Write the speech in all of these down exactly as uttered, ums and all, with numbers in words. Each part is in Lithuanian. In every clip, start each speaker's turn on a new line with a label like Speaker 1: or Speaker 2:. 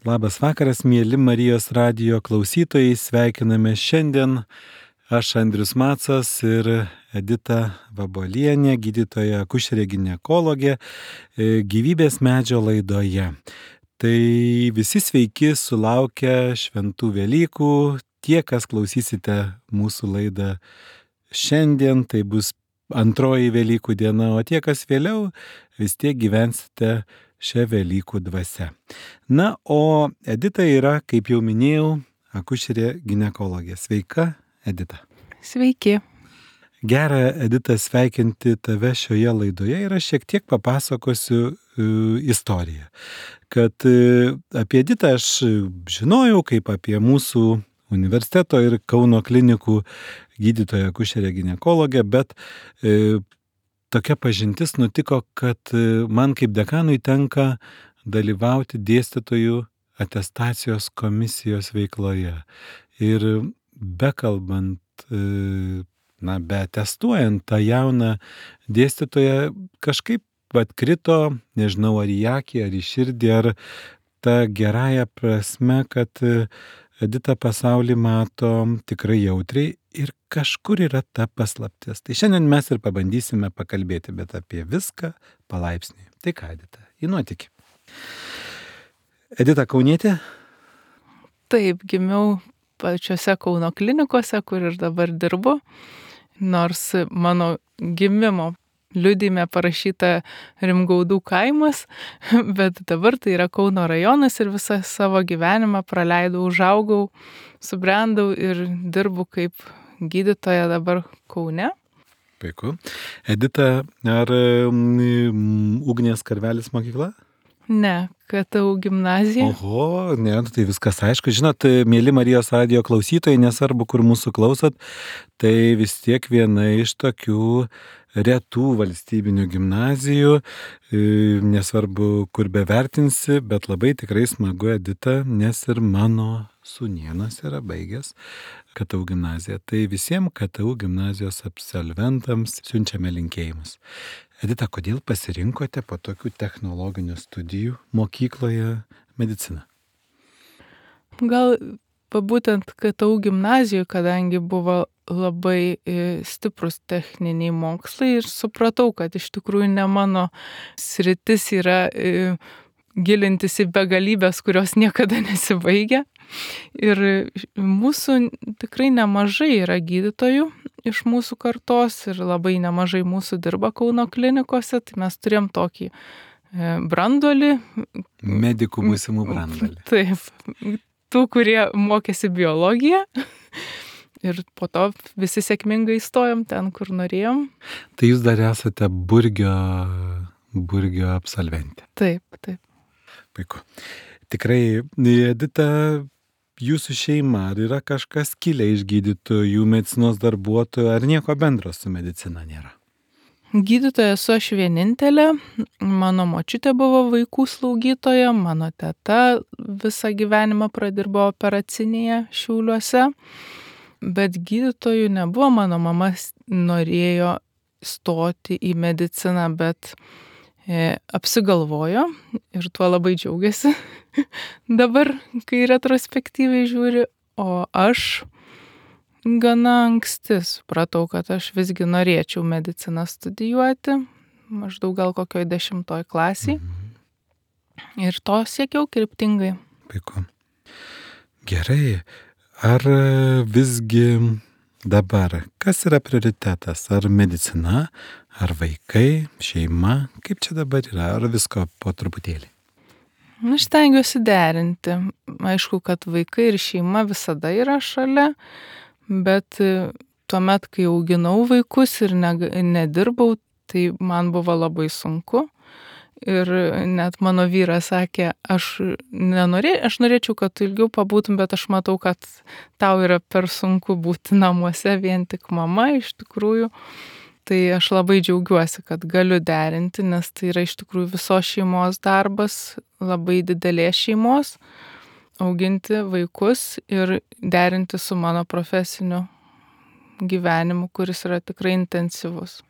Speaker 1: Labas vakaras, mėly Marijos radijo klausytojai, sveikiname šiandien. Aš Andrius Macas ir Edita Vabolienė, gydytoja akušerė ginekologė, gyvybės medžio laidoje. Tai visi sveiki sulaukę šventų Velykų. Tie, kas klausysite mūsų laidą šiandien, tai bus antroji Velykų diena, o tie, kas vėliau, vis tiek gyvensite šią Velykų dvasią. Na, o Edita yra, kaip jau minėjau, akušerė ginekologė. Sveika, Edita.
Speaker 2: Sveiki.
Speaker 1: Gera, Edita, sveikinti tave šioje laidoje ir aš šiek tiek papasakosiu uh, istoriją. Kad uh, apie Editą aš žinojau kaip apie mūsų universiteto ir Kauno klinikų gydytoją akušerę ginekologę, bet uh, tokia pažintis nutiko, kad man kaip dekanui tenka dalyvauti dėstytojų atestacijos komisijos veikloje. Ir bekalbant, na, beatestuojant tą jauną dėstytoją, kažkaip atkrito, nežinau, ar į akį, ar į širdį, ar tą gerąją prasme, kad Edita pasaulį mato tikrai jautriai ir kažkur yra ta paslaptis. Tai šiandien mes ir pabandysime pakalbėti, bet apie viską palaipsniui. Tai ką, Edita, į nuotykį. Edita kaunietė?
Speaker 2: Taip, gimiau pačiose Kauno klinikose, kur ir dabar dirbu, nors mano gimimo liudijime parašyta Rimgaudų kaimas, bet dabar tai yra Kauno rajonas ir visą savo gyvenimą praleidau, užaugau, subrendau ir dirbu kaip gydytoja dabar Kaune.
Speaker 1: Puiku. Edita, ar um, Ugnės Karvelis mokykla?
Speaker 2: Ne, K T U gimnazija.
Speaker 1: Oho, ne, tai viskas aišku. Žinot, mėly Marijos radijo klausytojai, nesvarbu, kur mūsų klausot, tai vis tiek viena iš tokių retų valstybinių gimnazijų, nesvarbu, kur bevertinsi, bet labai tikrai smagu, Edita, nes ir mano sūnėnas yra baigęs K T U gimnaziją. Tai visiems K T U gimnazijos absolventams siunčiame linkėjimus. Edita, kodėl pasirinkote po tokių technologinių studijų mokykloje mediciną?
Speaker 2: Gal būtent K T U gimnazijoje, kadangi buvo labai stiprus techniniai mokslai ir supratau, kad iš tikrųjų ne mano sritis yra gilintis į begalybės, kurios niekada nesibaigia. Ir mūsų tikrai nemažai yra gydytojų iš mūsų kartos ir labai nemažai mūsų dirba Kauno klinikose, tai mes turėjom tokį branduolį.
Speaker 1: Medikų būsimų branduolį.
Speaker 2: Taip, tų, kurie mokėsi biologiją. Ir po to visi sėkmingai įstojom ten, kur norėjom.
Speaker 1: Tai jūs dar esate Burgio, Burgio absolventė.
Speaker 2: Taip, taip.
Speaker 1: Puiku. Tikrai, Edita, jūsų šeima, ar yra kažkas kilę iš gydytojų, medicinos darbuotojų, ar nieko bendro su medicina nėra?
Speaker 2: Gydytoja esu aš vienintelė. Mano močiutė buvo vaikų slaugytoja, mano teta visą gyvenimą pradirbo operacinėje Šiauliuose. Bet gydytojų nebuvo, mano mama norėjo stoti į mediciną, bet e, apsigalvojo ir tuo labai džiaugiasi dabar, kai retrospektyviai žiūri, o aš gana anksti supratau, kad aš visgi norėčiau mediciną studijuoti, maždaug gal kokioj dešimtoj klasiai, mhm. Ir to siekiau kryptingai.
Speaker 1: Puiku. Gerai. Ar visgi dabar, kas yra prioritetas? Ar medicina, ar vaikai, šeima? Kaip čia dabar yra? Ar visko po truputėlį?
Speaker 2: Aš stengiuosi derinti. Aišku, kad vaikai ir šeima visada yra šalia, bet tuomet, kai auginau vaikus ir ne, nedirbau, tai man buvo labai sunku. Ir net mano vyras sakė, aš, nenorė, aš norėčiau, kad tu ilgiau pabūtum, bet aš matau, kad tau yra per sunku būti namuose vien tik mama iš tikrųjų. Tai aš labai džiaugiuosi, kad galiu derinti, nes tai yra iš tikrųjų visos šeimos darbas, labai didelės šeimos, auginti vaikus ir derinti su mano profesiniu gyvenimu, kuris yra tikrai intensyvus.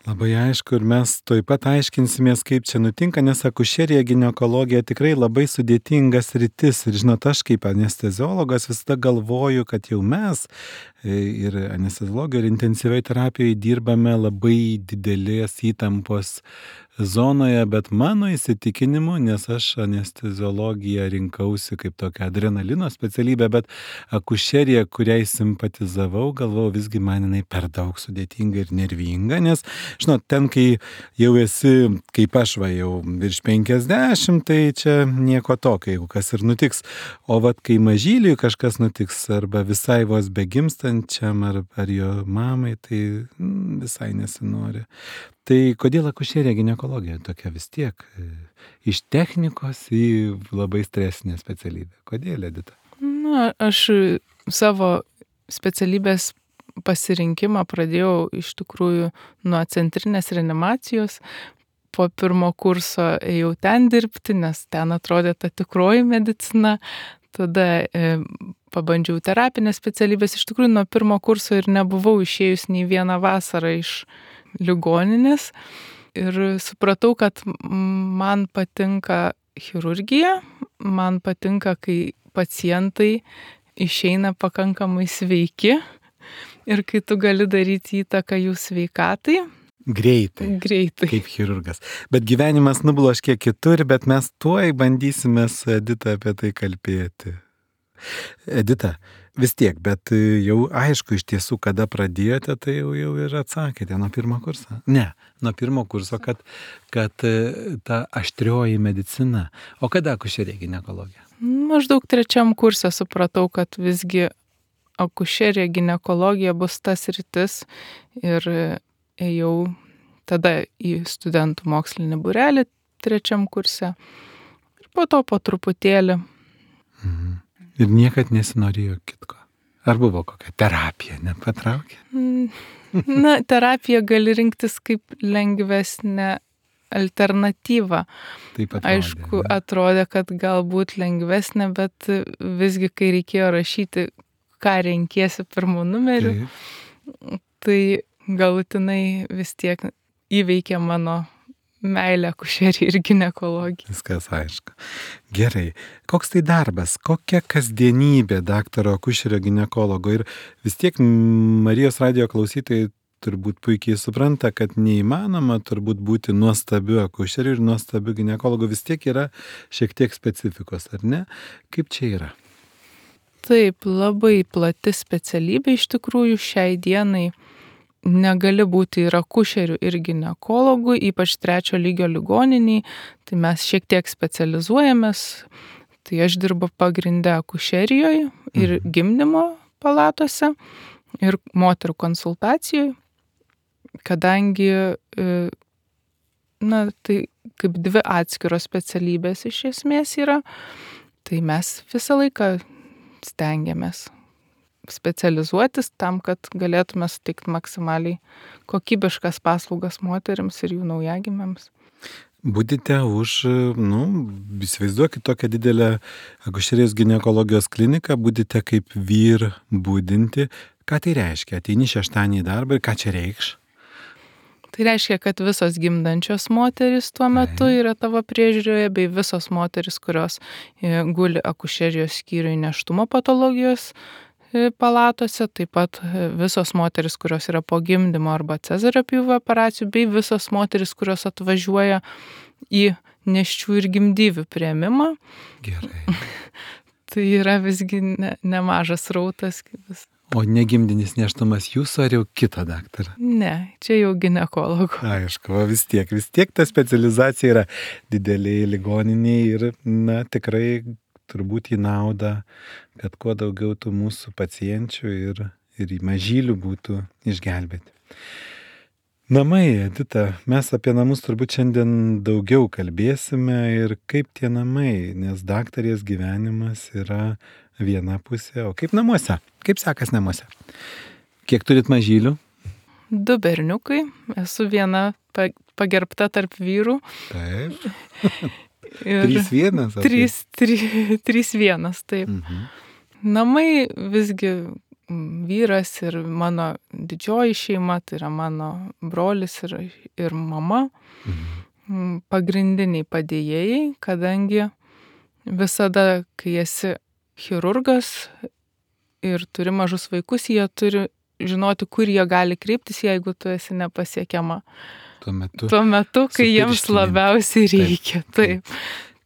Speaker 1: Labai aišku ir mes tuoj pat aiškinsimės, kaip čia nutinka, nes akušerija, ginekologija tikrai labai sudėtingas sritis. Ir žinot, aš kaip anesteziologas visada galvoju, kad jau mes ir anesteziologijoje, ir intensyviai terapijoje dirbame labai didelės įtampos zonoje, bet mano įsitikinimu, nes aš anesteziologiją rinkausi kaip tokią adrenalino specialybę, bet akušerija, kuriai simpatizavau, galvojau, visgi man jinai per daug sudėtinga ir nervinga, nes, žinot, ten, kai jau esi, kaip aš va, jau virš penkiasdešimt, tai čia nieko tokio, jeigu kas ir nutiks. O vat, kai mažyliui kažkas nutiks, arba visai vos begimstančiam, ar, ar jo mamai, tai mm, visai nesinori. Tai kodėl akušerija, ginekologija tokia vis tiek iš technikos į labai stresinę specialybę? Kodėl, Edita?
Speaker 2: Na, aš savo specialybės pasirinkimą pradėjau iš tikrųjų nuo centrinės reanimacijos. Po pirmo kurso ėjau ten dirbti, nes ten atrodė ta tikroji medicina. Tada e, pabandžiau terapinės specialybės. Iš tikrųjų nuo pirmo kurso ir nebuvau išėjus nei vieną vasarą iš ligoninės. Ir supratau, kad man patinka chirurgija, man patinka, kai pacientai išeina pakankamai sveiki ir kai tu gali daryti įtaką jų sveikatai.
Speaker 1: Greitai.
Speaker 2: Greitai.
Speaker 1: Kaip chirurgas. Bet gyvenimas nubloškė kitur, bet mes tuoj bandysime su Edita apie tai kalbėti. Edita, vis tiek, bet jau aišku iš tiesų, kada pradėjote, tai jau, jau ir atsakėte nuo pirmo kurso. Ne, nuo pirmo kurso, kad, kad ta aštrioji medicina. O kada akušerija, ginekologija?
Speaker 2: Maždaug trečiam kurse supratau, kad visgi akušerija, ginekologija bus tas rytis ir ėjau tada į studentų mokslinį būrelį trečiam kurse ir po to po truputėlį.
Speaker 1: Mhm. Ir niekad nesinorėjo kitko. Ar buvo kokia terapija, nepatraukė?
Speaker 2: Na, terapija gali rinktis kaip lengvesnė alternatyva.
Speaker 1: Taip atrodė.
Speaker 2: Aišku, atrodė, kad galbūt lengvesnė, bet visgi, kai reikėjo rašyti, ką renkiesi pirmų numerių, Taip. tai galutinai vis tiek įveikė mano meilę akušerijai ir ginekologijai.
Speaker 1: Viskas aišku. Gerai. Koks tai darbas? Kokia kasdienybė daktaro akušerio ginekologo? Ir vis tiek Marijos radijo klausytojai turbūt puikiai supranta, kad neįmanoma turbūt būti nuostabiu akušeriu ir nuostabiu ginekologu. Vis tiek yra šiek tiek specifikos, ar ne? Kaip čia yra?
Speaker 2: Taip, labai plati specialybė iš tikrųjų šiai dienai. Negali būti ir akušerių, ir ginekologų, ypač trečio lygio ligoniniai, tai mes šiek tiek specializuojamės. Tai aš dirbu pagrindę akušerijoje ir gimdymo palatose, ir moterų konsultacijoje, kadangi, na, tai kaip dvi atskiros specialybės iš esmės yra, tai mes visą laiką stengiamės specializuotis tam, kad galėtume suteikti maksimaliai kokybiškas paslaugas moteriams ir jų naujagimiams.
Speaker 1: Budite už, nu, įsivaizduokit tokią didelę akušerijos ginekologijos kliniką, budite kaip vyr budinti. Ką tai reiškia? Ateini šeštadienį į darbą ir ką čia reikš?
Speaker 2: Tai reiškia, kad visos gimdančios moteris tuo metu yra tavo priežiūroje, bei visos moteris, kurios guli akušerijos skyriuje nėštumo patologijos palatose, taip pat visos moteris, kurios yra po gimdymo arba cezario pjūvio operacijų, bei visos moteris, kurios atvažiuoja į nėščių ir gimdyvių priėmimą.
Speaker 1: Gerai.
Speaker 2: Tai yra visgi ne, nemažas rautas.
Speaker 1: O negimdinis nėštumas jūsų ar jau kito daktaro?
Speaker 2: Ne, čia jau ginekologų.
Speaker 1: Aišku, vis tiek, vis tiek ta specializacija yra dideliai ligoniniai ir, na, tikrai turbūt į naudą, kad kuo daugiau tų mūsų pacienčių ir, ir mažylių būtų išgelbėti. Namai, Edita, mes apie namus turbūt šiandien daugiau kalbėsime ir kaip tie namai, nes daktarės gyvenimas yra viena pusė, o kaip namuose? Kaip sekas namuose? Kiek turit mažylių?
Speaker 2: Du berniukai, esu viena pagerbta tarp vyrų.
Speaker 1: Taip. Trys vienas?
Speaker 2: Trys, trys, trys vienas, taip.
Speaker 1: Mhm.
Speaker 2: Namai visgi vyras ir mano didžioji šeima, tai yra mano brolis ir, ir mama,
Speaker 1: Mhm.
Speaker 2: pagrindiniai padėjėjai, kadangi visada, kai esi chirurgas ir turi mažus vaikus, jie turi žinoti, kur jie gali kreiptis, jeigu tu esi nepasiekiama.
Speaker 1: Tuo metu.
Speaker 2: Tuo metu, kai jiems
Speaker 1: supirštinint.
Speaker 2: labiausiai
Speaker 1: Taip,
Speaker 2: reikia. Taip.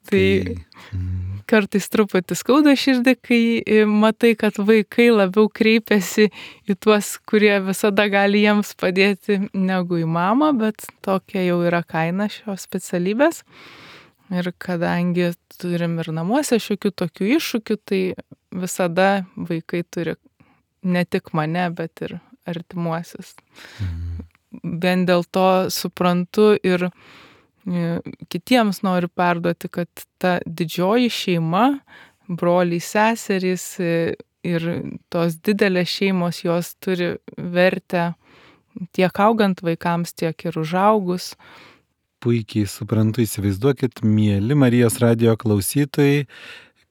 Speaker 2: Tai
Speaker 1: Mhm.
Speaker 2: kartais truputį skauda širdį, kai e, matai, kad vaikai labiau kreipiasi į tuos, kurie visada gali jiems padėti, negu į mamą, bet tokia jau yra kaina šios specialybės. Ir kadangi turim ir namuose šiokių tokių iššūkių, tai visada vaikai turi ne tik mane, bet ir artimuosius.
Speaker 1: Mhm.
Speaker 2: Vien dėl to suprantu ir e, kitiems noriu perduoti, kad ta didžioji šeima, broliai, seserys e, ir tos didelės šeimos, jos turi vertę tiek augant vaikams, tiek ir užaugus.
Speaker 1: Puikiai suprantu, įsivaizduokit, mieli Marijos radijo klausytojai,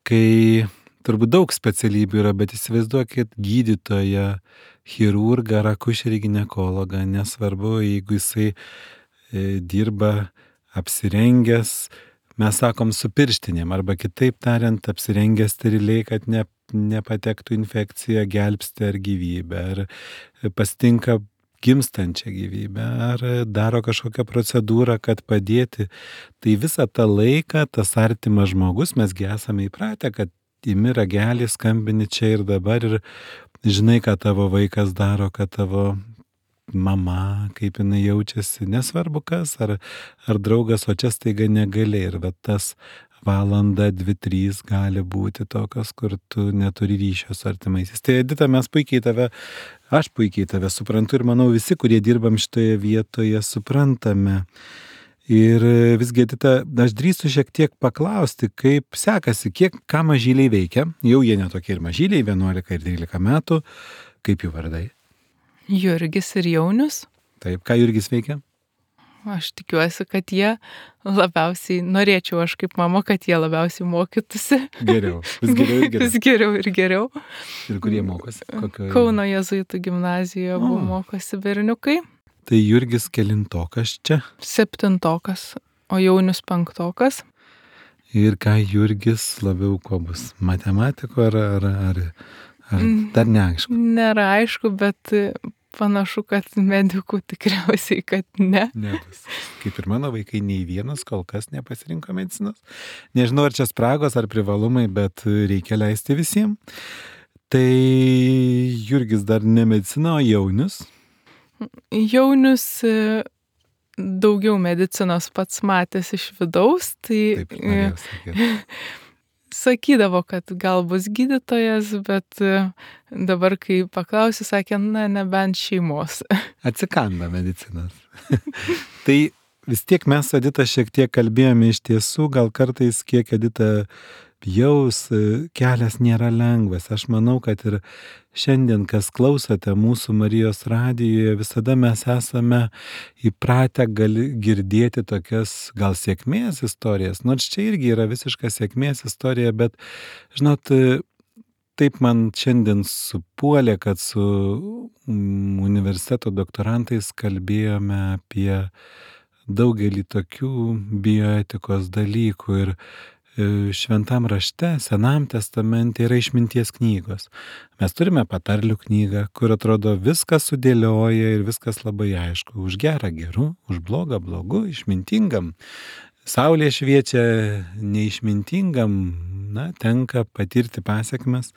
Speaker 1: kai turbūt daug specialybių yra, bet įsivaizduokit gydytoją, chirurgą, ar akušerį ginekologą, nesvarbu, jeigu jisai e, dirba apsirengęs, mes sakom, su pirštinėm, arba kitaip tariant, apsirengęs steriliai, kad ne, nepatektų infekcija, gelbsti ar gyvybę, ar pasitinka gimstančią gyvybę, ar daro kažkokią procedūrą, kad padėti. Tai visą tą laiką tas artimas žmogus, mesgi esame įpratę, kad imi ragelį, skambini čia ir dabar ir žinai, ką tavo vaikas daro, kad tavo mama, kaip jinai jaučiasi, nesvarbu kas, ar, ar draugas, o čia staiga negali. Ir va tas valanda, dvi, trys gali būti tokios, kur tu neturi ryšio su artimaisiais. Tai Edita, mes puikiai tave, aš puikiai tave suprantu ir manau visi, kurie dirbam šitoje vietoje, suprantame. Ir visgi, Edita, aš drįstu šiek tiek paklausti, kaip sekasi, kiek ką mažyliai veikia. Jau jie netokie ir mažyliai, vienuolika ir trylika metų. Kaip jų vardai?
Speaker 2: Jurgis ir Jaunius.
Speaker 1: Taip, ką Jurgis veikia?
Speaker 2: Aš tikiuosi, kad jie labiausiai, norėčiau aš kaip mama, kad jie labiausiai mokytųsi.
Speaker 1: Geriau, vis geriau ir geriau.
Speaker 2: Vis geriau ir geriau.
Speaker 1: Ir kurie mokosi? Kokio...
Speaker 2: Kauno jėzuitų gimnazijoje buvo
Speaker 1: O.
Speaker 2: mokosi berniukai.
Speaker 1: Tai Jurgis kelintokas čia.
Speaker 2: Septintokas, o Jaunius penktokas.
Speaker 1: Ir ką Jurgis labiau ko bus? Matematiko ar, ar, ar, ar dar neaišku?
Speaker 2: Nėra aišku, bet panašu, kad medikų tikriausiai, kad ne.
Speaker 1: Nebus. Kaip ir mano vaikai, nei vienas kol kas nepasirinko medicinos. Nežinau, ar čia spragos, ar privalumai, bet reikia leisti visiems. Tai Jurgis dar ne medicina, o Jaunius.
Speaker 2: Jaunius e, daugiau medicinos pats matęs iš vidaus, tai
Speaker 1: Taip, norėjau sakyti.
Speaker 2: sakydavo, kad gal bus gydytojas, bet e, dabar, kai paklausiu, sakė, na, nebent šeimos.
Speaker 1: Atsikanda medicinos. Tai vis tiek mes, Edita, šiek tiek kalbėjome iš tiesų, gal kartais kiek Edita jaus, kelias nėra lengvas. Aš manau, kad ir šiandien, kas klausote mūsų Marijos radijoje, visada mes esame įpratę gali girdėti tokias gal sėkmės istorijas. Nors čia irgi yra visiška sėkmės istorija, bet, žinot, taip man šiandien supuolė, kad su universiteto doktorantais kalbėjome apie daugelį tokių bioetikos dalykų ir Šventam rašte, Senam testamente yra išminties knygos. Mes turime patarlių knygą, kur atrodo viskas sudėlioja ir viskas labai aišku. Už gerą geru, už blogą blogu, išmintingam. Saulė šviečia neišmintingam, na, tenka patirti pasiekmes.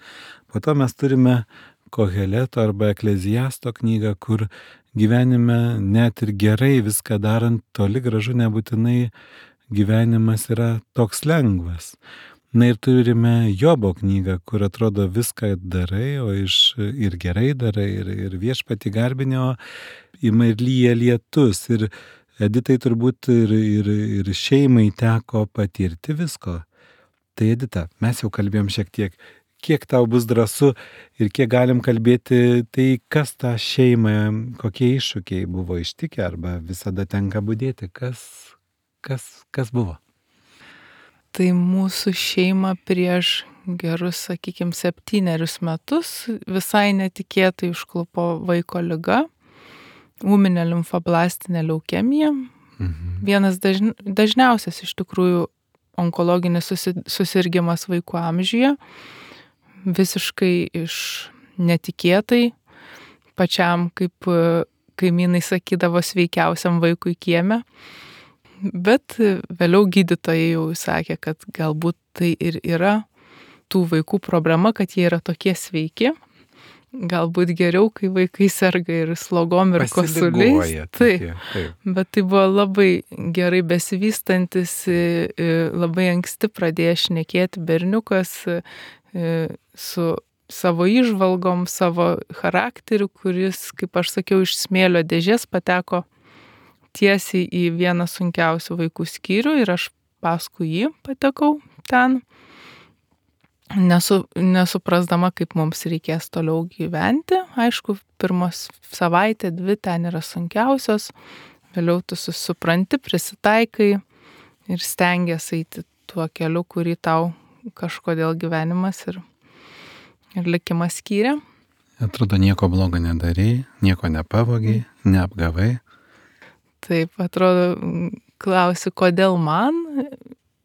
Speaker 1: Po to mes turime Koheleto arba Ekleziasto knygą, kur gyvenime net ir gerai viską darant, toli gražu nebūtinai gyvenimas yra toks lengvas. Na ir turime Jobo knygą, kur atrodo viską darai, o iš ir gerai darai, ir, ir viešpatį garbini, o ima ir lyja lietus. Ir Editai turbūt ir, ir, ir šeimai teko patirti visko. Tai Edita, mes jau kalbėjom šiek tiek, kiek tau bus drąsu ir kiek galim kalbėti, tai kas tą šeimą, kokie iššūkiai buvo ištikę arba visada tenka budėti, kas... Kas, kas buvo?
Speaker 2: Tai mūsų šeima prieš gerus, sakykime, septynerius metus visai netikėtai užklupo vaiko liga, ūminė limfoblastinė leukemija.
Speaker 1: Mhm.
Speaker 2: Vienas dažn, dažniausias iš tikrųjų onkologinis susi, susirgimas vaikų amžiuje, visiškai iš netikėtai, pačiam kaip kaimynai sakydavo sveikiausiam vaikui kieme. Bet vėliau gydytojai jau sakė, kad galbūt tai ir yra tų vaikų problema, kad jie yra tokie sveiki. Galbūt geriau, kai vaikai serga ir slogom ir kosuliais.
Speaker 1: Taip, taip.
Speaker 2: Bet tai buvo labai gerai besivystantis, labai anksti pradėjęs šnekėti berniukas su savo įžvalgom, savo charakteriu, kuris, kaip aš sakiau, iš smėlio dėžės pateko tiesiai į vieną sunkiausių vaikų skyrių ir aš paskui jį patekau ten, nesu, nesuprasdama, kaip mums reikės toliau gyventi. Aišku, pirmos savaitė, dvi ten yra sunkiausios, vėliau tu supranti, prisitaikai ir stengiasi eiti tuo keliu, kurį tau kažkodėl gyvenimas ir, ir likimas skyrė.
Speaker 1: Atrodo, nieko blogo nedarei, nieko nepavogiai, neapgavai.
Speaker 2: Taip, atrodo, klausi, kodėl man,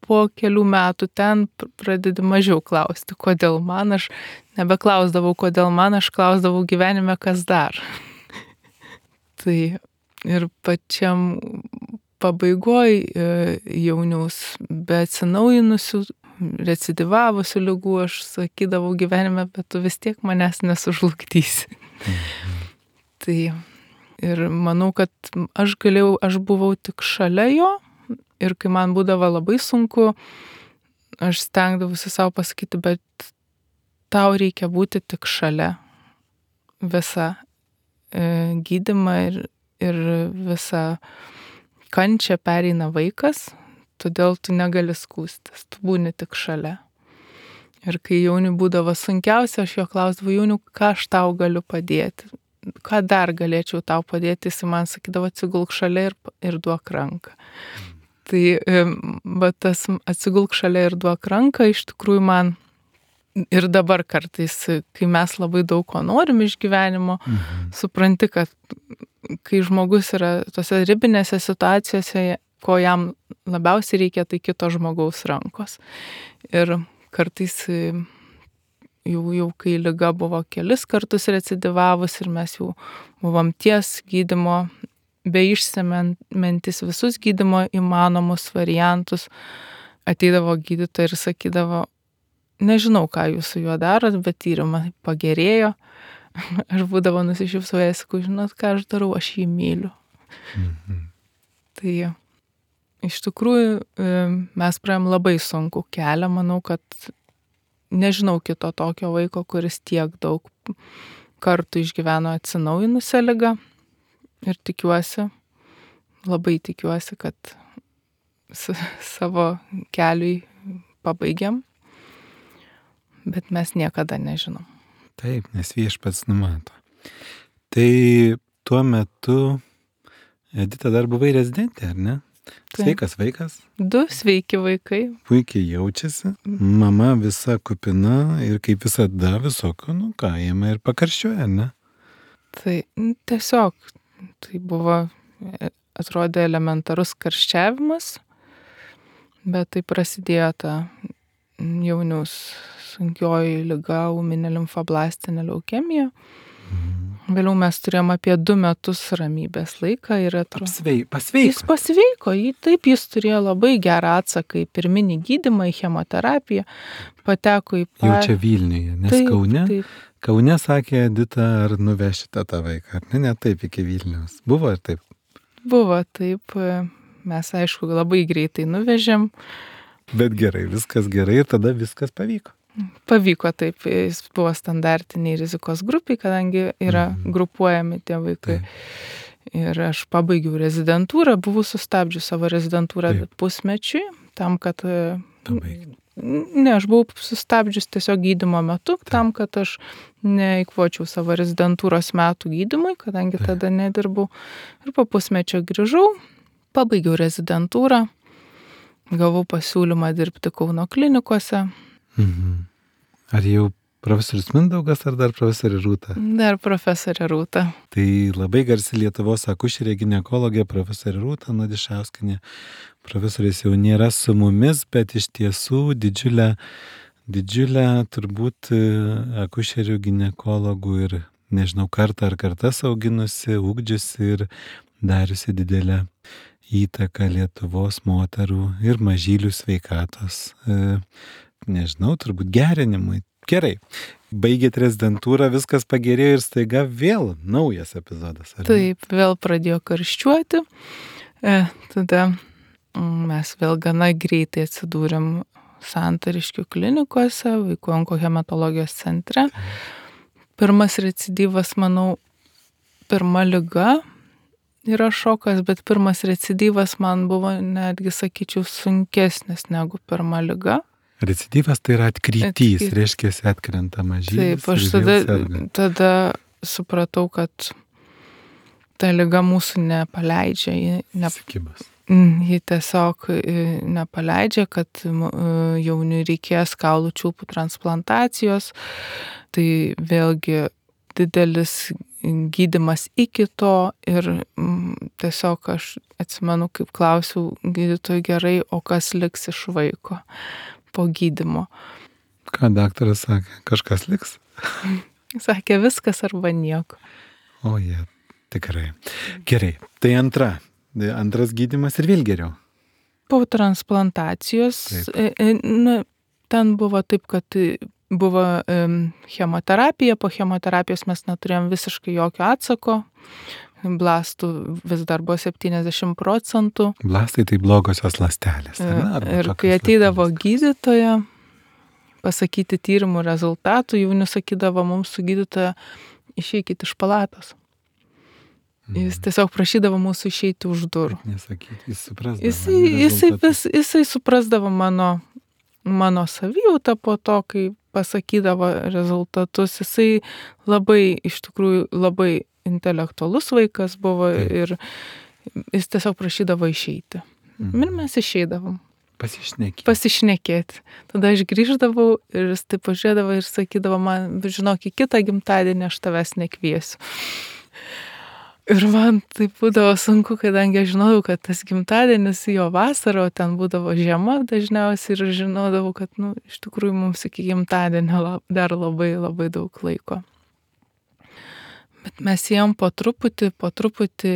Speaker 2: po kelių metų ten pradedi mažiau klausti, kodėl man, aš nebeklausdavau, kodėl man, aš klausdavau gyvenime, kas dar. Tai ir pačiam pabaigoj jauniaus, be atsinaujinusių, recidivavusių ligų, aš sakydavau gyvenime, bet tu vis tiek manęs nesužlugdysi.
Speaker 1: Mhm.
Speaker 2: Tai ir manau, kad aš galėjau, aš buvau tik šalia jo ir kai man būdavo labai sunku, aš stengdavausi savo pasakyti, bet tau reikia būti tik šalia visą e, gydymą ir, ir visą kančią pereina vaikas, todėl tu negali skųstis, tu būni tik šalia. Ir kai jauniui būdavo sunkiausia, aš jo klausdavau, jaunių, ką aš tau galiu padėti. Ką dar galėčiau tau padėti, jis man sakydavo, atsigulk šalia ir, ir duok ranką. Tai bet tas atsigulk šalia ir duok ranką iš tikrųjų man ir dabar kartais, kai mes labai daug ko norim iš gyvenimo, mhm. supranti, kad kai žmogus yra tose ribinėse situacijose, ko jam labiausiai reikia, tai kito žmogaus rankos. Ir kartais Jau, jau kai liga buvo kelis kartus recidivavus ir mes jau buvom ties gydymo, be išsemiantis visus gydymo įmanomus variantus, ateidavo gydytoja ir sakydavo, nežinau, ką jūs su juo darot, bet tyrimai pagerėjo. Aš būdavo nusišypsojęs, sakau, žinot, ką aš darau, aš jį myliu. Mhm. Tai iš tikrųjų mes praėjom labai sunku kelią, manau, kad nežinau kito tokio vaiko, kuris tiek daug kartų išgyveno atsinaujinusią ligą ir tikiuosi, labai tikiuosi, kad savo keliui pabaigiam, bet mes niekada nežinom.
Speaker 1: Taip, nes viešpats numato. Tai tuo metu Edita dar buvai rezidentė, ar ne? Sveikas vaikas.
Speaker 2: Du sveiki vaikai.
Speaker 1: Puikiai jaučiasi. Mama visa kupina ir kaip visada visokio, nu ką, jame ir pakarščiuoja, ne?
Speaker 2: Tai tiesiog, tai buvo, atrodė elementarus karščiavimas, bet tai prasidėjo ta jauniaus sunkioji liga, ūminė limfoblastinė leukemija. Mhm. Vėliau mes turėjom apie du metus ramybės laiką ir atrodo.
Speaker 1: Apsvei, pasveiko.
Speaker 2: Jis pasveiko, jį, taip jis turėjo labai gerą atsaką į pirminį gydymą, į chemoterapiją, pateko į...
Speaker 1: Pa... Jau čia Vilniuje, nes taip, Kaune. Taip. Kaune sakė Edita, ar nuvešite tą vaiką, ar ne, ne taip iki Vilniaus. Buvo ir taip?
Speaker 2: Buvo taip, mes aišku labai greitai nuvežėm.
Speaker 1: Bet gerai, viskas gerai ir tada viskas pavyko.
Speaker 2: Pavyko taip, jis buvo standartiniai rizikos grupiai, kadangi yra mhm. grupuojami tie vaikai. Taip. Ir aš pabaigiau rezidentūrą, buvau sustabdžiu savo rezidentūrą taip. pusmečiui, tam, kad...
Speaker 1: Pabaigti.
Speaker 2: Ne, aš buvau sustabdžius tiesiog gydymo metu, taip. tam, kad aš neįkvočiau savo rezidentūros metų gydymui, kadangi taip. tada nedirbau. Ir po pusmečio grįžau, pabaigiau rezidentūrą, gavau pasiūlymą dirbti Kauno klinikose.
Speaker 1: Mhm. Ar jau profesorius Mindaugas, ar dar profesorė Rūta?
Speaker 2: Dar profesorė Rūta.
Speaker 1: Tai labai garsi Lietuvos akušerė ginekologė profesorė Rūta Nadišauskienė. Profesorės jau nėra su mumis, bet iš tiesų didžiulę, didžiulę turbūt akušerių ginekologų ir, nežinau, kartą ar kartas auginusi, ugdžiusi ir dariusi didelę įtaką Lietuvos moterų ir mažylių sveikatos, nežinau, turbūt gerinimui. Gerai, baigėt rezidentūrą, viskas pagerėjo ir staiga vėl naujas epizodas. Ar ne?
Speaker 2: Taip, vėl pradėjo karščiuoti. E, tada mes vėl gana greitai atsidūrėm Santariškių klinikose, vaikų onkohematologijos centre. Pirmas recidyvas, manau, pirma liga yra šokas, bet pirmas recidyvas man buvo netgi, sakyčiau, sunkesnis negu pirma liga.
Speaker 1: Recidyvas tai yra atkrytys, Atkryt... reiškia, atkrenta mažylis.
Speaker 2: Taip, aš tada, tada supratau, kad ta liga mūsų nepaleidžia. Ji, ne, ji tiesiog nepaleidžia, kad jauniui reikės kaulų čiulpų transplantacijos. Tai vėlgi didelis gydymas iki to ir mm, tiesiog aš atsimenu, kaip klausiau gydytojų, gerai, o kas liks iš vaiko po gydymo.
Speaker 1: Ką daktaras sakė? Kažkas liks?
Speaker 2: Sakė, viskas arba nieko.
Speaker 1: O jie, tikrai. Gerai, tai antra. Antras gydymas ir vėl geriau.
Speaker 2: Po transplantacijos, nu, ten buvo taip, kad buvo um, chemoterapija, po chemoterapijos mes neturėjom visiškai jokio atsako. Blastų vis dar buvo septyniasdešimt procentų.
Speaker 1: Blastai tai blogosios ląstelės.
Speaker 2: Ir kai ateidavo gydytoja pasakyti tyrimų rezultatų, jauni sakydavo mums su gydytoja, išeikit iš palatos. Mm. Jis tiesiog prašydavo mūsų išeiti už durų.
Speaker 1: Nesakyti, jis suprasdavo.
Speaker 2: Jisai, jisai, vis, jisai suprasdavo mano, mano savijautą po to, kai pasakydavo rezultatus. Jisai labai, iš tikrųjų, labai intelektualus vaikas buvo. Taip. Ir jis tiesiog prašydavo išeiti. Mm. Ir mes išeidavom.
Speaker 1: Pasišnekėti.
Speaker 2: Pasišnekėti. Tada aš grįždavau ir jis taip pažiūrėdavo ir sakydavo man, žinok, į kitą gimtadienį aš tavęs nekviesiu. Ir man tai būdavo sunku, kadangi aš žinojau, kad tas gimtadienis jo vasara, o ten būdavo žiema dažniausiai ir žinodavau, kad, nu, iš tikrųjų mums iki gimtadienio dar labai labai daug laiko. Bet mes ėjom po truputį, po truputį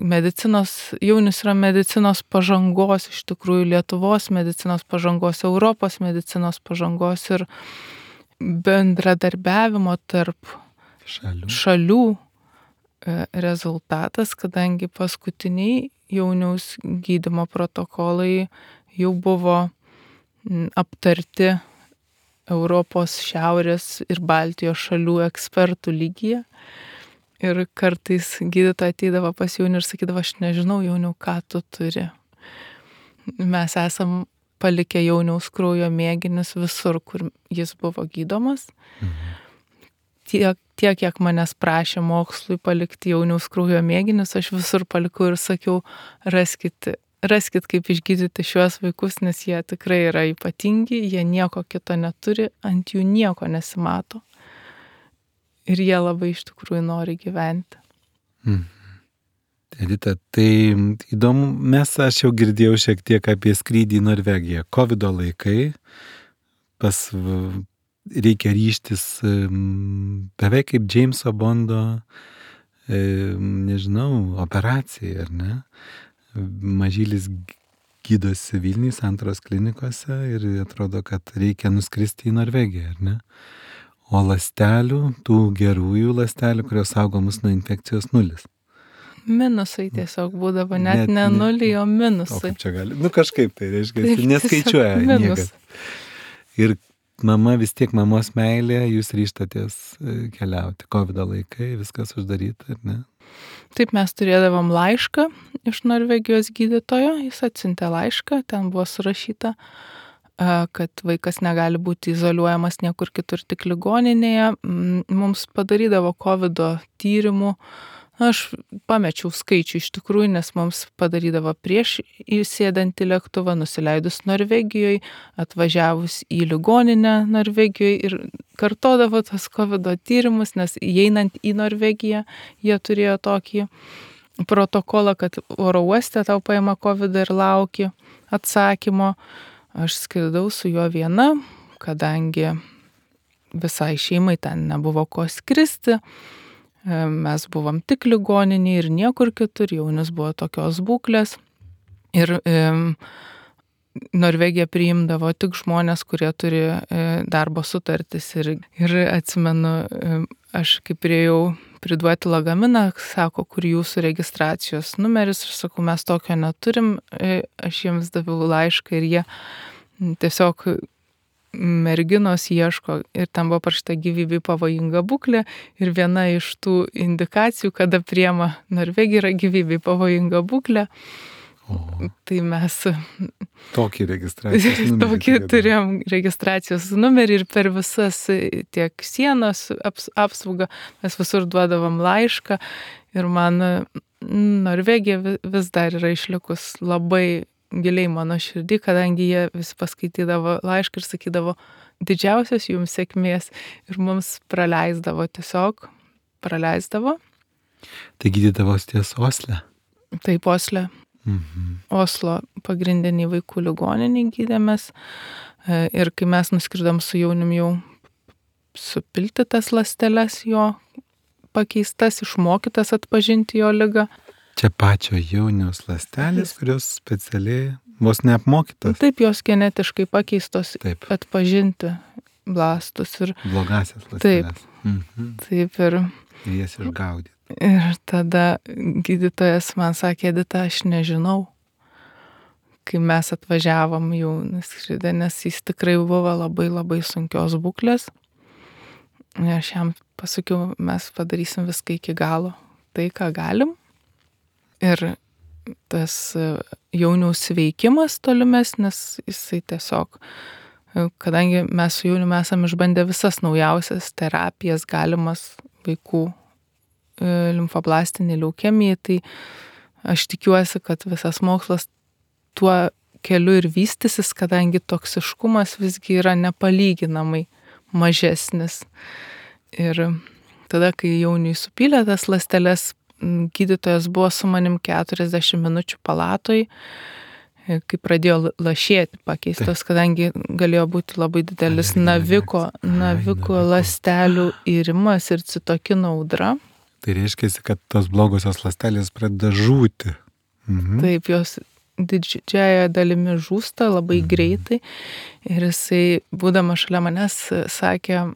Speaker 2: medicinos, jaunis yra medicinos pažangos, iš tikrųjų Lietuvos medicinos pažangos, Europos medicinos pažangos ir bendradarbiavimo tarp
Speaker 1: šalių,
Speaker 2: šalių rezultatas, kadangi paskutiniai jauniaus gydymo protokolai jau buvo aptarti Europos, Šiaurės ir Baltijos šalių ekspertų lygyje. Ir kartais gydytoja ateidavo pas jaunį ir sakydavo, aš nežinau, jauniau, ką tu turi. Mes esam palikę jauniaus kraujo mėginius visur, kur jis buvo gydomas.
Speaker 1: Mhm.
Speaker 2: Tiek, tiek, kiek manęs prašė mokslui palikti jauniaus kraujo mėginius, aš visur palikau ir sakiau, raskit, raskit kaip išgydyti šiuos vaikus, nes jie tikrai yra ypatingi, jie nieko kito neturi, ant jų nieko nesimato. Ir jie labai iš tikrųjų nori gyventi.
Speaker 1: Mhm. Edita, tai įdomu, mes aš jau girdėjau šiek tiek apie skrydį į Norvegiją. Kovido laikai, pas reikia ryžtis beveik kaip Jameso Bondo, nežinau, operacijai, ar ne? Mažylis gydosi Vilniuje, Santaros klinikose ir atrodo, kad reikia nuskristi į Norvegiją, ar ne? O ląstelių, tų gerųjų ląstelių, kurios saugo mus nuo infekcijos, nulis.
Speaker 2: Minusai tiesiog būdavo, net, net ne nuliai, o minusai.
Speaker 1: O kaip čia gali? Nu kažkaip tai reiškia, neskaičiuoja niekas. Ir mama, vis tiek mamos meilė, jūs ryžtatės keliauti. Kovido laikai, viskas uždaryta, ar ne?
Speaker 2: Taip, mes turėdavom laišką iš Norvegijos gydytojo, jis atsiuntė laišką, ten buvo surašyta, kad vaikas negali būti izoliuojamas niekur kitur, tik ligoninėje. Mums padarydavo kovido tyrimų Aš pamečiau skaičių iš tikrųjų, nes mums padarydavo prieš įsėdant į lėktuvą, nusileidus Norvegijoje, atvažiavus į ligoninę Norvegijoje ir kartodavo tos kovido tyrimus, nes įeinant į Norvegiją jie turėjo tokį protokolą, kad oro uoste tau paima kovidą ir lauki atsakymo. Aš skridau su juo viena, kadangi visai šeimai ten nebuvo ko skristi. Mes buvom tik ligoninėje ir niekur kitur, jaunis buvo tokios būklės. Ir e, Norvegija priimdavo tik žmonės, kurie turi e, darbo sutartis. Ir, ir atsimenu, e, aš kaip priėjau priduoti lagaminą, sako, kur jūsų registracijos numeris. Aš sakau, mes tokio neturim. E, aš jiems daviau laišką ir jie tiesiog merginos ieško ir ten buvo parašyta gyvybei pavojinga būklė ir viena iš tų indikacijų, kada priema Norvegija, yra gyvybei pavojinga būklė.
Speaker 1: O.
Speaker 2: Tai mes
Speaker 1: Tokį registracijos numerį.
Speaker 2: tokį turėjom registracijos numerį ir per visas tiek sienos aps, apsaugą mes visur duodavom laišką ir man Norvegija vis dar yra išlikus labai giliai mano širdį, kadangi jie visi paskaitydavo laišką ir sakydavo didžiausios jums sėkmės ir mums praleisdavo tiesiog, praleisdavo.
Speaker 1: Tai gydydavos ties Osle?
Speaker 2: Taip, Osle.
Speaker 1: Mhm.
Speaker 2: Oslo pagrindiniai vaikų ligoniniai gydėmės ir kai mes nuskridom su jaunim jau supilti tas ląsteles jo pakeistas, išmokytas atpažinti jo ligą.
Speaker 1: Čia pačio jauniaus ląstelės, kurios specialiai vos neapmokytos.
Speaker 2: Taip, jos genetiškai pakeistos
Speaker 1: Taip.
Speaker 2: Atpažinti blastus. Ir,
Speaker 1: blogasias ląsteles.
Speaker 2: Taip,
Speaker 1: mhm.
Speaker 2: taip ir,
Speaker 1: ir jas išgaudyti.
Speaker 2: Ir tada gydytojas man sakė, Edita, aš nežinau, kai mes atvažiavom jau nuskridę, nes jis tikrai buvo labai labai sunkios būklės. Ir aš jam pasakiau, mes padarysim viską iki galo, tai ką galim. Ir tas jauniaus sveikimas tolimesnis, jisai tiesiog, kadangi mes su jauniu esame išbandę visas naujausias terapijas galimas vaikų limfoblastiniai leukemijai, tai aš tikiuosi, kad visas mokslas tuo keliu ir vystysis, kadangi toksiškumas visgi yra nepalyginamai mažesnis. Ir tada, kai jauniui supylė tas ląsteles, gydytojas buvo su manim keturiasdešimt minučių palatoj, kai pradėjo lašėti pakeistos, kadangi galėjo būti labai didelis naviko, naviko ląstelių irimas ir citokino audra.
Speaker 1: Tai reiškia, kad tos blogosios ląstelės pradeda žūti. Mhm.
Speaker 2: Taip, jos didžiąją dalimi žūsta labai mhm. greitai. Ir jisai, būdamas šalia manęs, sakė,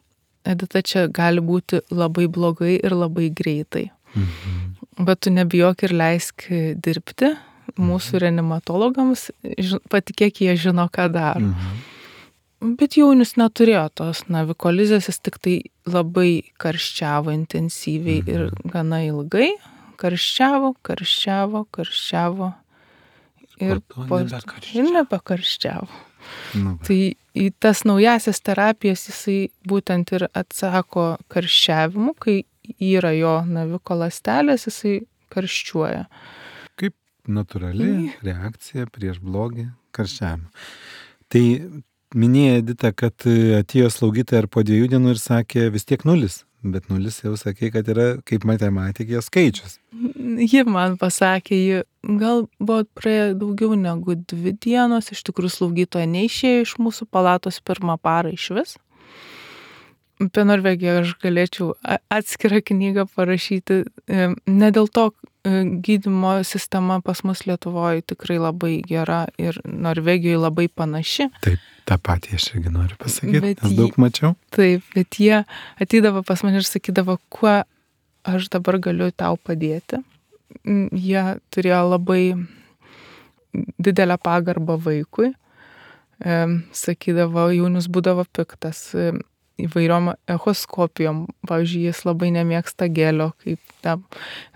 Speaker 2: Edita, čia gali būti labai blogai ir labai greitai. Mhm. Bet tu nebijok ir leisk dirbti mūsų reanimatologams, patikėk, jie žino, ką daro. Mhm. Bet jaunis neturėjo tos navikolizės, jis tik tai labai karščiavo intensyviai mhm. ir gana ilgai. Karščiavo, karščiavo, karščiavo ir po ir nebekarščiavo. Nu, tai į tas naujasias terapijas jisai būtent ir atsako karščiavimu, kai yra jo naviko ląstelės, jisai karščiuoja.
Speaker 1: Kaip natūrali reakcija prieš blogį karščiavimą. Tai minėjo Edita, kad atėjo slaugytoja ir po dviejų dienų ir sakė vis tiek nulis, bet nulis jau sakė, kad yra kaip matematikės skaičius.
Speaker 2: Ji man pasakė, ji gal buvo praėję daugiau negu dvi dienos, iš tikrųjų slaugytoja neišėjo iš mūsų palatos pirmą parą iš vis. Apie Norvegiją aš galėčiau atskirą knygą parašyti. Ne dėl to gydymo sistema pas mus Lietuvoje tikrai labai gera ir Norvegijoje labai panaši.
Speaker 1: Taip, tą patį aš irgi noriu pasakyti,
Speaker 2: bet
Speaker 1: nes daug mačiau.
Speaker 2: Taip, bet jie ateidavo pas mane ir sakydavo, kuo aš dabar galiu tau padėti. Jie turėjo labai didelę pagarbą vaikui. Sakydavo, jaunius būdavo piktas įvairiom echoskopijom. Pavyzdžiui, jis labai nemėgsta gelio. Kaip tam.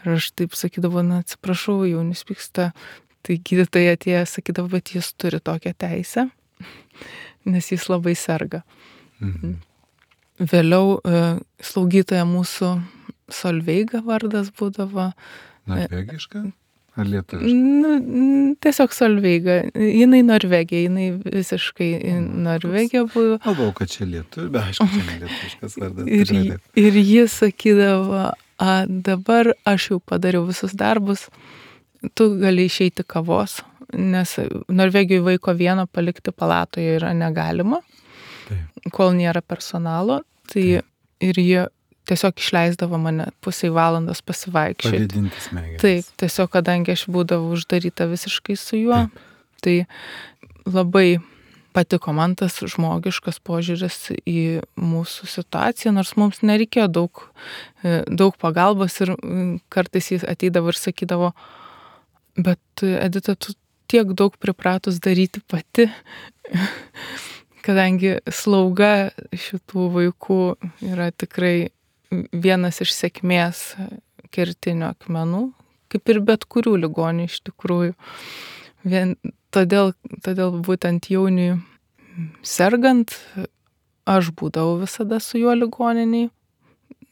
Speaker 2: Ir aš taip sakydavo, na atsiprašau, jaunis pyksta. Tai gydytojai atėjo, sakydavo, bet jis turi tokią teisę, nes jis labai serga. Mhm. Vėliau slaugytoja mūsų Solveiga vardas būdavo.
Speaker 1: Norvegiška ar lietuviška?
Speaker 2: Nu, tiesiog Solveiga. Jinai Norvegija, jinai visiškai Norvegija buvo.
Speaker 1: Galvau, kad čia lietuvių, bet aišku, čia ne lietuviškas vardas.
Speaker 2: Ir, ir ji sakydavo, a, dabar aš jau padariau visus darbus, tu gali išeiti kavos, nes Norvegijoje vaiko vieno palikti palatoje yra negalima, Taip. Kol nėra personalo. Tai Taip. Ir jie tiesiog išleisdavo mane pusiai valandos pasivaikščioti.
Speaker 1: Pavėdinti smegenis.
Speaker 2: Taip, tiesiog kadangi aš būdavau uždaryta visiškai su juo, Taip. Tai labai patiko man tas žmogiškas požiūris į mūsų situaciją, nors mums nereikėjo daug, daug pagalbos ir kartais jis ateidavo ir sakydavo, bet Edita, tu tiek daug pripratus daryti pati, kadangi slauga šitų vaikų yra tikrai vienas iš sėkmės kertinių akmenų, kaip ir bet kurių ligonių iš tikrųjų. Vien, todėl, todėl būtent Jauniui sergant, aš būdavau visada su juo ligoniniai.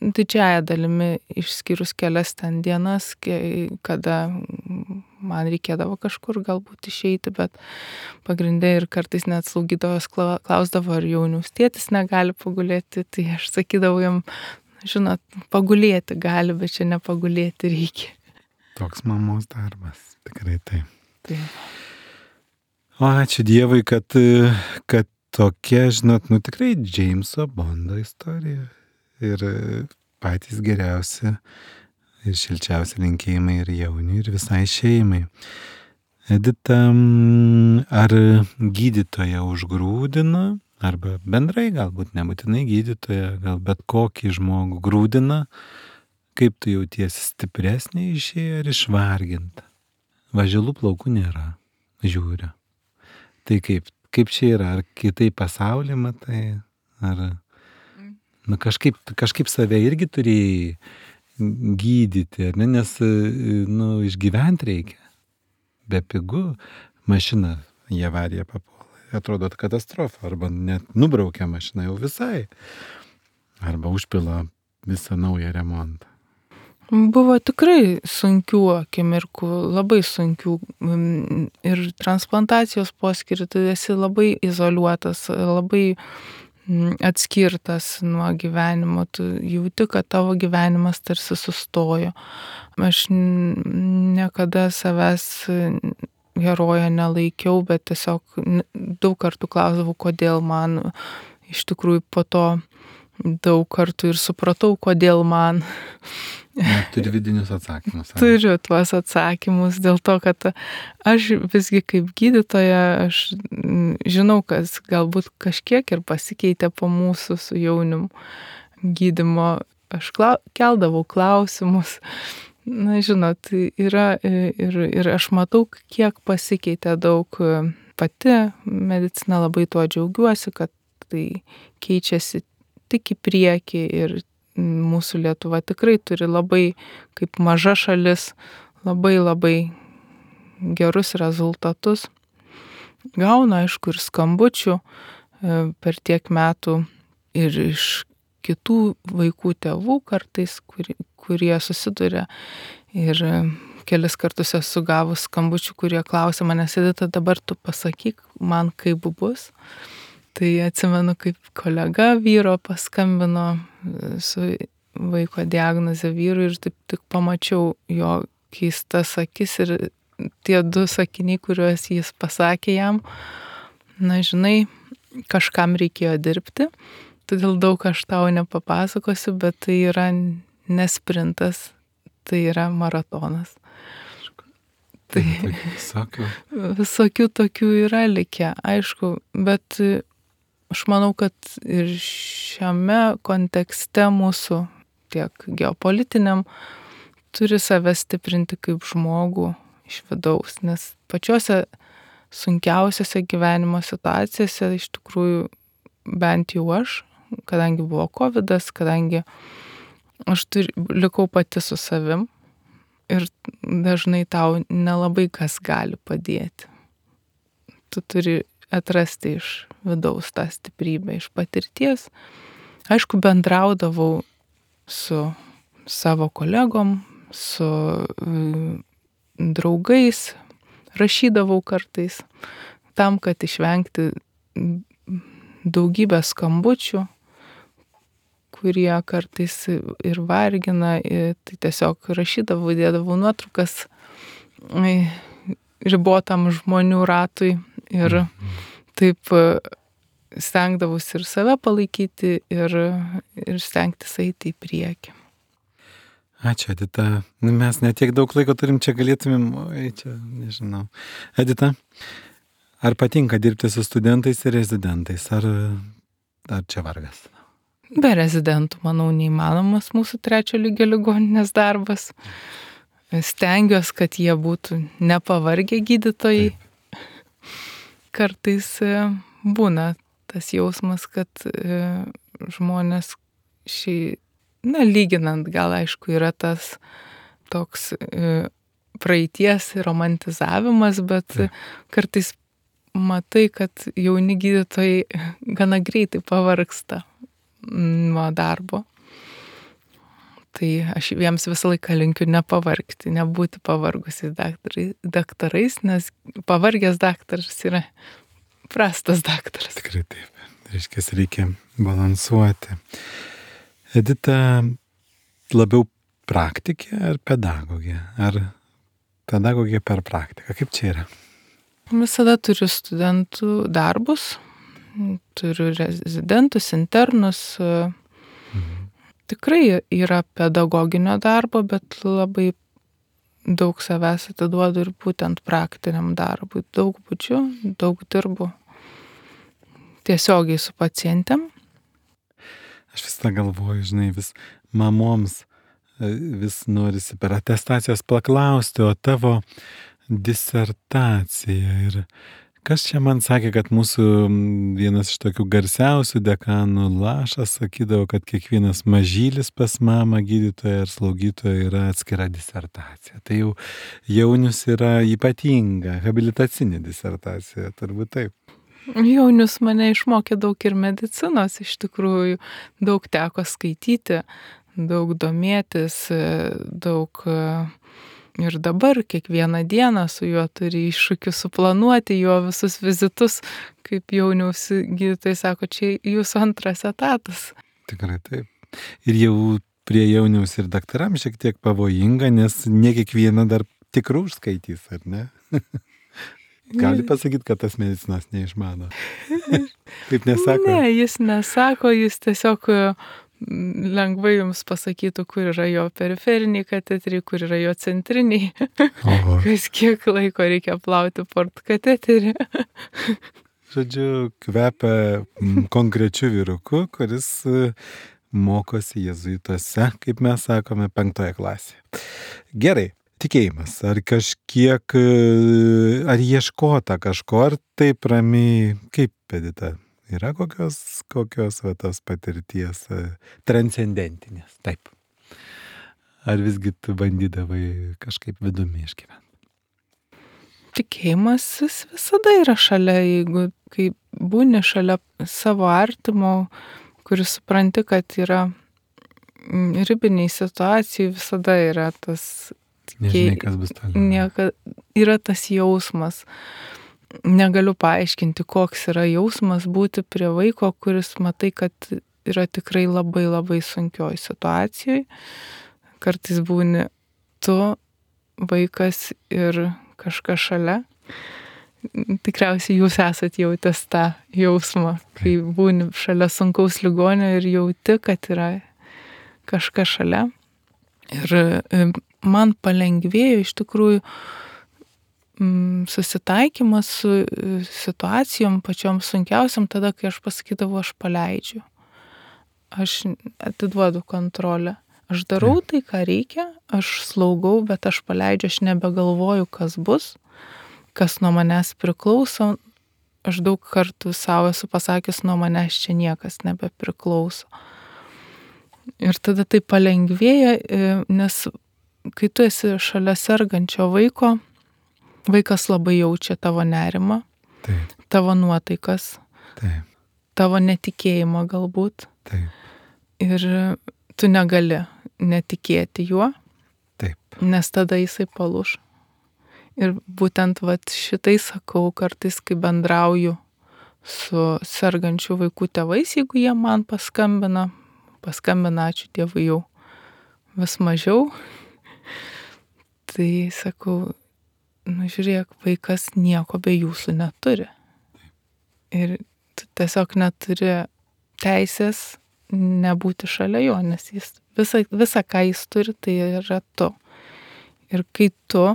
Speaker 2: Didžiąją dalimi išskyrus kelias ten dienas, kada man reikėdavo kažkur galbūt išeiti, bet pagrindė ir kartais net slaugytojos klausdavo, ar Jauniaus tėtis negali pagulėti, tai aš sakydavau jam, žinot, pagulėti gali, bet čia nepagulėti reikia.
Speaker 1: Toks mamos darbas, tikrai taip.
Speaker 2: Taip.
Speaker 1: O ačiū Dievui, kad, kad tokia, žinot, nu tikrai Džeimso Bondo istorija. Ir patys geriausi ir šilčiausi linkėjimai ir Jauniui, ir visai šeimai. Edita, ar gydytoja užgrūdina, arba bendrai galbūt nebūtinai gydytoja, gal bet kokį žmogų grūdina, kaip tu jautiesi, stipresnė išėję ar išvarginta? Važilų plaukų nėra, žiūriu. Tai kaip, kaip čia yra, ar kitai pasaulį matai, ar... Nu, kažkaip, kažkaip save irgi turėjai gydyti, ne? Nes nu, išgyventi reikia. Bepigu mašina į avariją papuola. Atrodo katastrofa, arba net nubraukia mašiną jau visai. Arba užpila visą naują remontą.
Speaker 2: Buvo tikrai sunkių akimirkų, labai sunkių. Ir transplantacijos poskirį, tu esi labai izoliuotas, labai atskirtas nuo gyvenimo, tu jauti, kad tavo gyvenimas tarsi sustojo. Aš niekada savęs herojo nelaikiau, bet tiesiog daug kartų klausdavau, kodėl man, iš tikrųjų po to daug kartų ir supratau, kodėl man.
Speaker 1: Net turi vidinius atsakymus. Ar?
Speaker 2: Turiu tuos atsakymus dėl to, kad aš visgi kaip gydytoja, aš žinau, kas galbūt kažkiek ir pasikeitė po mūsų su Jaunium gydymo. Aš klau, keldavau klausimus. Na, žinot, yra ir, ir aš matau, kiek pasikeitė daug pati medicina, labai tuo džiaugiuosi, kad tai keičiasi tik į priekį ir mūsų Lietuva tikrai turi labai, kaip maža šalis, labai labai gerus rezultatus. Gauna, aišku, ir skambučių per tiek metų ir iš kitų vaikų tėvų kartais, kurie, kurie susiduria. Ir kelis kartus esu gavus skambučių, kurie klausia manęs, Edita, dabar tu pasakyk man, kaip bus. Tai atsimenu, kaip kolega vyro paskambino su vaiko diagnoze vyrui ir taip tik pamačiau jo keistas akis ir tie du sakiniai, kuriuos jis pasakė jam, na žinai, kažkam reikėjo dirbti, todėl daug aš tau nepapasakosiu, bet tai yra ne sprintas, tai yra maratonas. Tai
Speaker 1: visokių.
Speaker 2: Visokių tokių yra likę, aišku, bet aš manau, kad ir šiame kontekste mūsų tiek geopolitiniam turi save stiprinti kaip žmogų iš vidaus, nes pačiose sunkiausiose gyvenimo situacijose iš tikrųjų bent jau aš, kadangi buvo kovidas, kadangi aš turi, likau pati su savim ir dažnai tau nelabai kas gali padėti. Tu turi atrasti iš vidaus tą stiprybę, iš patirties. Aišku, bendraudavau su savo kolegom, su draugais, rašydavau kartais, tam, kad išvengti daugybę skambučių, kurie kartais ir vargina, tai tiesiog rašydavau, dėdavau nuotraukas ribotam žmonių ratui ir taip stengdavausi ir save palaikyti ir, ir stengtis eiti į priekį.
Speaker 1: Ačiū, Edita. Mes netiek daug laiko turim, čia galėtumėm, oi, čia nežinau. Edita, ar patinka dirbti su studentais ir rezidentais, ar, ar čia vargas?
Speaker 2: Be rezidentų, manau, neįmanomas mūsų trečio lygio ligoninės darbas. Stengiuosi, kad jie būtų nepavargę gydytojai. Taip. Kartais būna tas jausmas, kad žmonės šiai, na, lyginant, gal aišku, yra tas toks praeities romantizavimas, bet Taip. Kartais matai, kad jauni gydytojai gana greitai pavargsta nuo darbo. Tai aš jiems visą laiką linkiu nepavargti, nebūti pavargusiais daktarais, daktarais, nes pavargęs daktaras yra prastas daktaras.
Speaker 1: Tikrai taip. Reiškia, reikia balansuoti. Edita, labiau praktikė ar pedagogė? Ar pedagogė per praktiką? Kaip čia yra?
Speaker 2: Visada turiu studentų darbus, turiu rezidentus, internus. Mhm. Tikrai yra pedagoginio darbo, bet labai daug savęs atiduodu ir būtent praktiniam darbui. Daug būdžiu, daug dirbu tiesiogiai su pacientėm.
Speaker 1: Aš vis tą galvoju, žinai, vis mamoms vis norisi per atestacijas paklausti, o tavo disertacija. Ir kas čia man sakė, kad mūsų vienas iš tokių garsiausių dekanų Lašas sakydavo, kad kiekvienas mažylis pas mamą gydytoją ar slaugytoją yra atskira disertacija. Tai jau Jaunius yra ypatinga, habilitacinė disertacija, turbūt taip.
Speaker 2: Jaunius mane išmokė daug ir medicinos, iš tikrųjų, daug teko skaityti, daug domėtis, daug ir dabar kiekvieną dieną su juo turi iššūkių suplanuoti jo visus vizitus, kaip Jauniaus gydytojai sako, čia jūsų antras etatas.
Speaker 1: Tikrai taip. Ir jau prie Jauniaus ir daktaram šiek tiek pavojinga, nes ne kiekvieną dar tikrų užskaitys, ar ne? Gali pasakyti, kad tas medicinos neišmano. Taip nesako?
Speaker 2: Ne, jis nesako, jis tiesiog lengvai jums pasakytų, kur yra jo periferiniai kateteriai, kur yra jo centriniai. Oho. Kas kiek laiko reikia plauti portkateterį.
Speaker 1: Žodžiu, kvepia konkrečiu vyruku, kuris mokosi jėzuituose, kaip mes sakome, penktoje klasėje. Gerai. Tikėjimas, ar kažkiek, ar ieškota kažko, ar taip ramiai, kaip, Edita, yra kokios, kokios va, tos patirties transcendentinės, taip. Ar visgi tu bandydavai kažkaip vidumi išgyventi?
Speaker 2: Tikėjimas jis visada yra šalia, jeigu kai būni šalia savo artimo, kuris supranti, kad yra ribiniai situacijai, visada yra tas
Speaker 1: Nežinai, kas bus toliau.
Speaker 2: Nieka, yra tas jausmas. Negaliu paaiškinti, koks yra jausmas būti prie vaiko, kuris matai, kad yra tikrai labai labai sunkioj situacijoj. Kartais būni tu, vaikas ir kažkas šalia. Tikriausiai jūs esat jautęs tą jausmą, kai būni šalia sunkaus ligonio ir jauti, kad yra kažkas šalia. Ir man palengvėjo iš tikrųjų susitaikymas su situacijom pačiom sunkiausiam tada, kai aš pasakydavau, aš paleidžiu. Aš atiduodu kontrolę. Aš darau tai, ką reikia, aš slaugau, bet aš paleidžiu, aš nebegalvoju, kas bus, kas nuo manęs priklauso. Aš daug kartų savo esu pasakęs, nuo manęs čia niekas nebepriklauso. Ir tada tai palengvėja, nes kai tu esi šalia sergančio vaiko, vaikas labai jaučia tavo nerimą, Taip. Tavo nuotaikas, Taip. Tavo netikėjimą galbūt.
Speaker 1: Taip.
Speaker 2: Ir tu negali netikėti juo,
Speaker 1: Taip.
Speaker 2: nes tada jisai palūš. Ir būtent vat šitai sakau kartais, kai bendrauju su sergančių vaikų tėvais, jeigu jie man paskambina, paskambina, ačiū Dievui, jau vis mažiau, tai sakau, nu žiūrėk, vaikas nieko be jūsų neturi. Ir tu tiesiog neturi teisės nebūti šalia jo, nes jis visa, visa, ką jis turi, tai yra tu. Ir kai tu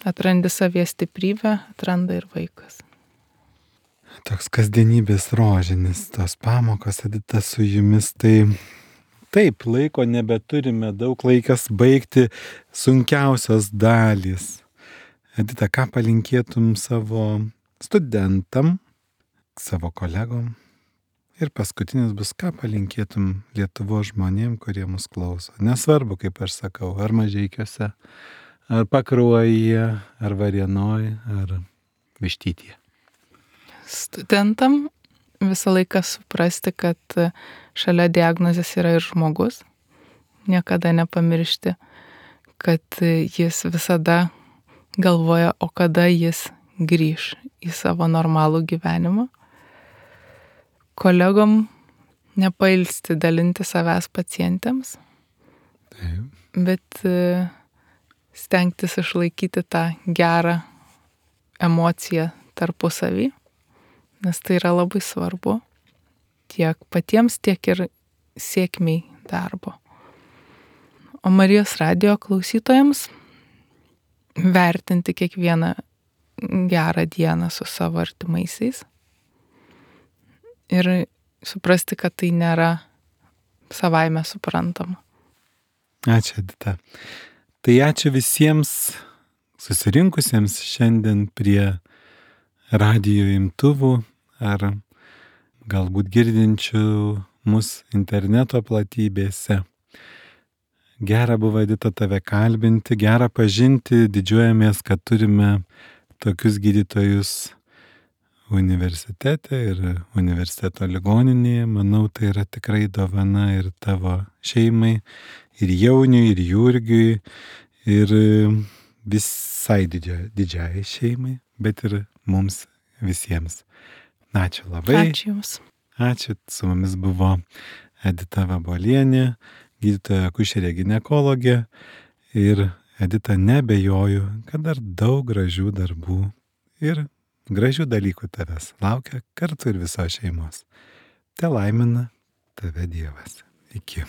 Speaker 2: atrandi savyje stiprybę, atranda ir vaikas.
Speaker 1: Toks kasdienybės rožinis, tos pamokos, Edita, su jumis, tai taip, laiko nebeturime, daug laikas baigti sunkiausios dalys. Edita, ką palinkėtum savo studentam, savo kolegom? Ir paskutinis bus, ką palinkėtum Lietuvos žmonėm, kurie mus klauso. Nesvarbu, kaip aš sakau, ar Mažeikiuose, ar Pakruojyje, ar Varėnoj, ar Vištytyje.
Speaker 2: Studentam visą laiką suprasti, kad šalia diagnozės yra ir žmogus. Niekada nepamiršti, kad jis visada galvoja, o kada jis grįš į savo normalų gyvenimą. Kolegom nepailsti dalinti savęs pacientėms,
Speaker 1: Taip.
Speaker 2: bet stengtis išlaikyti tą gerą emociją tarpusavy, nes tai yra labai svarbu tiek patiems, tiek ir sėkmiai darbo. O Marijos radijo klausytojams vertinti kiekvieną gerą dieną su savo artimaisiais ir suprasti, kad tai nėra savaime suprantama.
Speaker 1: Ačiū, Edita. Tai ačiū visiems susirinkusiems šiandien prie radijo imtuvų ar galbūt girdinčių mus interneto platybėse. Gera buvo, Edita, tave kalbinti, gera pažinti, didžiuojamės, kad turime tokius gydytojus universitete ir universiteto ligoninėje. Manau, tai yra tikrai dovana ir tavo šeimai, ir Jauniui, ir Jurgiui, ir visai didžia, didžiai šeimai, bet ir mums visiems. Ačiū labai.
Speaker 2: Ačiū Jums.
Speaker 1: Ačiū. Su mumis buvo Edita Vabolienė, gydytoja akušerė ginekologė, ir Edita, nebejoju, kad dar daug gražių darbų ir gražių dalykų tavęs laukia kartu ir visos šeimos. Te laimina tave Dievas. Iki.